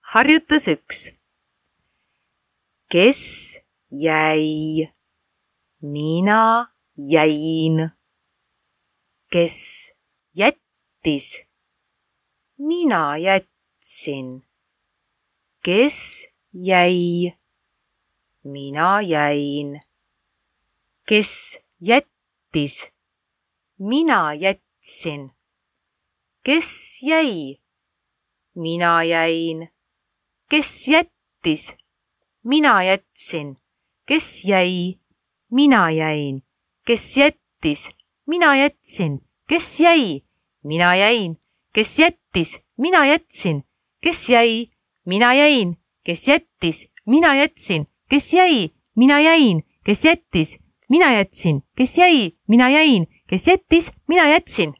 Harjutus 1. Kes jäi? Mina jäin. Kes jättis? Mina jätsin. Kes jäi? Mina jäin. Kes jättis? Mina jätsin. Kes jäi? Mina jäin. Kes jättis? Mina jätsin. Kes jäi? Mina jäin. Kes jättis? Mina jätsin. Kes jäi? Mina jäin. Kes jättis? Mina jätsin. Kes jäi? Mina jäin. Kes jättis? Mina jätsin. Kes jäi? Mina jäin. Kes jättis? Mina jätsin. Kes jäi? Mina jäin. Kes jättis? Mina jätsin.